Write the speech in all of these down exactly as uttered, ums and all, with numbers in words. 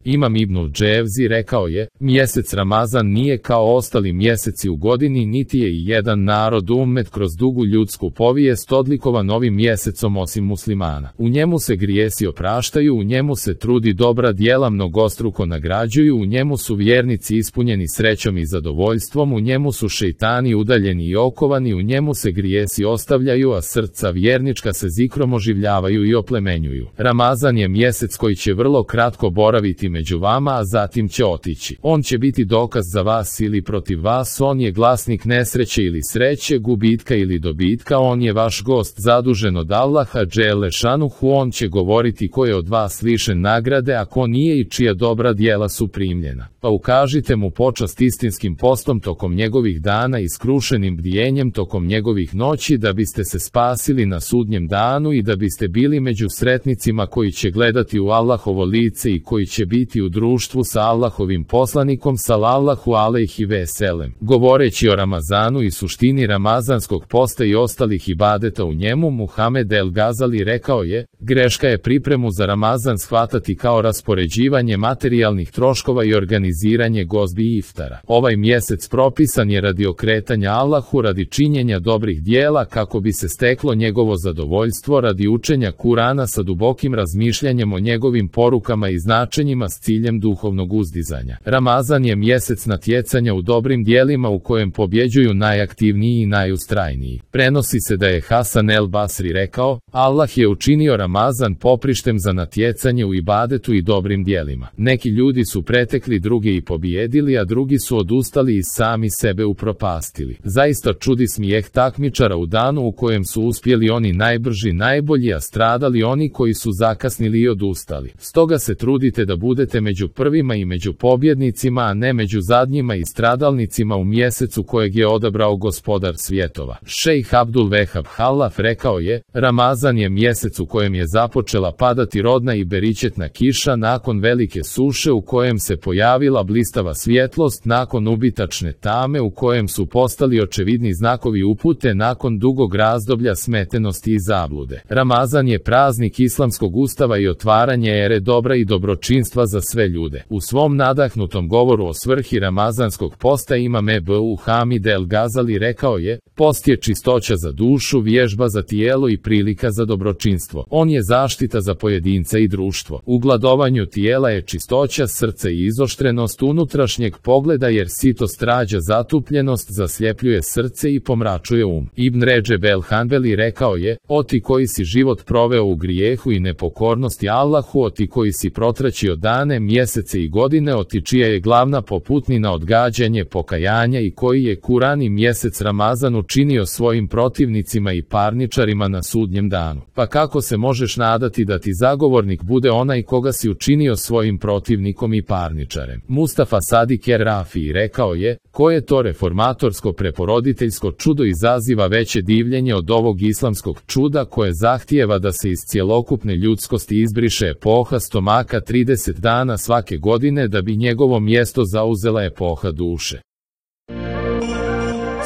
Imam ibnul Dževzi rekao je, mjesec Ramazan nije kao ostali mjeseci u godini, niti je i jedan narod ummet kroz dugu ljudsku povijest odlikovan ovim mjesecom osim muslimana. U njemu se grijesi opraštaju, u njemu se trudi dobra djela mnogostruko nagrađuju, u njemu su vjernici ispunjeni srećom i zadovoljstvom, u njemu su šejtani udaljeni i okovani, u njemu se grijesi ostavljaju, a srca vjernička se zikrom oživljavaju i oplemenjuju. Ramazan je mjesec koji će vrlo kratko boraviti među vama, a zatim će otići. On će biti dokaz za vas ili protiv vas, on je glasnik nesreće ili sreće, gubitka ili dobitka, on je vaš gost zadužen od Allaha dželle šanuhu, on će govoriti ko je od vas lišen nagrade, a ko nije i čija dobra djela su primljena. Pa ukažite mu počast istinskim postom tokom njegovih dana i skrušenim bdijenjem tokom njegovih noći, da biste se spasili na sudnjem danu i da biste bili među sretnicima koji će gledati u Allahovo lice i koji će biti u društvu sa Allahovim poslanikom sallallahu alejhi ve selem. Govoreći o Ramazanu i suštini ramazanskog posta i ostalih ibadeta u njemu, Muhamed el Gazali rekao je, greška je pripremu za Ramazan shvatati kao raspoređivanje materijalnih troškova i organiziranje gozbi i iftara. Ovaj mjesec propisan je radi okretanja Allahu, radi činjenja dobrih dijela kako bi se steklo njegovo zadovoljstvo, radi učenja Kurana sa dubokim razmišljanjem o njegovim porukama i značenjima s ciljem duhovnog uzdizanja. Ramazan je mjesec natjecanja u dobrim dijelima u kojem pobjeđuju najaktivniji i najustrajniji. Prenosi se da je Hasan el Basri rekao, Allah je učinio Ramazan poprištem za natjecanje u ibadetu i dobrim dijelima. Neki ljudi su pretekli druge i pobijedili, a drugi su odustali i sami sebe upropastili. Zaista čudi smijeh takmičara u danu u kojem su uspjeli oni najbrži, najbolji, a stradali oni koji su zakasnili i odustali. Stoga se trudite da budete među prvima i među pobjednicima, a ne među zadnjima i stradalnicima u mjesecu kojeg je odabrao gospodar svjetova. Šejh Abdul Vehab Halaf rekao je, Ramazan je mjesec u kojem je započela padati rodna i beričetna kiša nakon velike suše u kojem se pojavila blistava svjetlost, nakon ubitačne tame u kojem su postali očevidni znakovi upute nakon dugog razdoblja smetenosti i zablude. Ramazan je praznik islamskog ustava i otvaranje ere dobra i dobročinstva za sve ljude. U svom nadahnutom govoru o svrhi ramazanskog posta Imam Ebu Hamid el Gazali rekao je, post je čistoća za dušu, vježba za tijelo i prilika za dobročinstvo. On je zaštita za pojedinca i društvo. U gladovanju tijela je čistoća srca i izoštrenost unutrašnjeg pogleda, jer sitost rađa zatupljenost, zasljepljuje srce i pomračuje um. Ibn Redžeb el Hanbeli rekao je, o ti koji si život proveo u grijehu i nepokornosti Allahu, o ti koji si protraćio dane, mjesece i godine, o ti čija je glavna poputnina odgađanje pokajanja i koji je Kuran i mjesec Ramazan učinio svojim protivnicima i parničarima na sudnjem danu. Pa kako se možeš nadati da ti zagovornik bude onaj koga si učinio svojim protivnikom i parničarem? Mustafa Sadik er Rafi rekao je, koje to reformatorsko preporoditeljsko čudo izaziva veće divljenje od ovog islamskog čuda koje zahtijeva da se iz cjelokupne ljudskosti izbriše epoha stomaka trideset dana svake godine da bi njegovo mjesto zauzela epoha duše.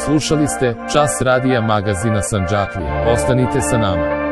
Slušali ste Čas radija magazina Sandžaklija. Ostanite sa nama.